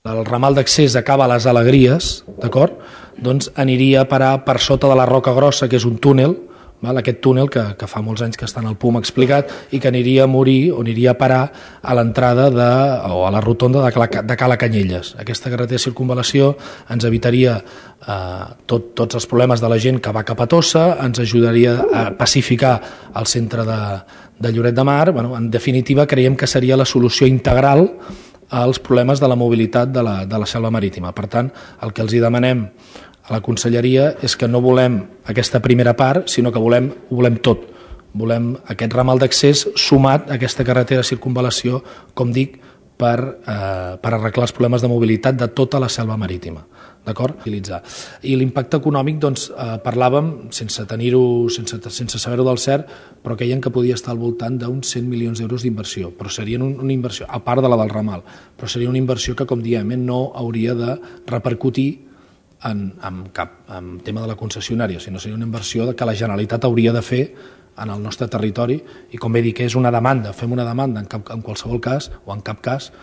El ramal d'accés acaba a les Alegries, d'acord? Doncs aniria a parar per sota de la Roca Grossa, que és un túnel, aquest túnel que fa molts anys que està en el PUM explicat i que aniria a morir o aniria a parar a l'entrada o a la rotonda de Cala Canyelles. Aquesta carretera de circunvalació ens evitaria tots els problemes de la gent que va cap a Tossa, ens ajudaria a pacificar el centre de Lloret de Mar. En definitiva, creiem que seria la solució integral als problemes de la mobilitat de la selva marítima. Per tant, el que els demanem a la conselleria és que no volem aquesta primera part, sinó que ho volem tot. Volem aquest ramal d'accés sumat a aquesta carretera de circunvalació, com dic, per arreglar els problemes de mobilitat de tota la selva marítima. D'acord? I l'impacte econòmic, doncs, parlàvem, sense saber-ho del cert, però creiem que podia estar al voltant d'uns 100 milions d'euros d'inversió, però seria una inversió, a part de la del ramal, però seria una inversió que, com diem, no hauria de repercutir en tema de la concessionària, sinó seria una inversió que la Generalitat hauria de fer en el nostre territori i, com bé dic, és una demanda, fem una demanda en qualsevol cas o en cap cas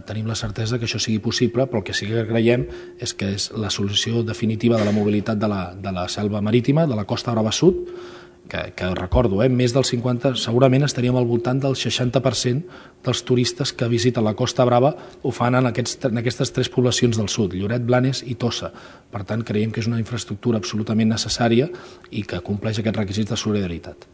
tenim la certesa que això sigui possible, però el que sí que creiem és que és la solució definitiva de la mobilitat de la selva marítima, de la Costa Brava Sud, que recordo, més del 50%, segurament estaríem al voltant del 60% dels turistes que visiten la Costa Brava ho fan en aquestes tres poblacions del sud, Lloret, Blanes i Tossa. Per tant, creiem que és una infraestructura absolutament necessària i que compleix aquests requisits de solidaritat.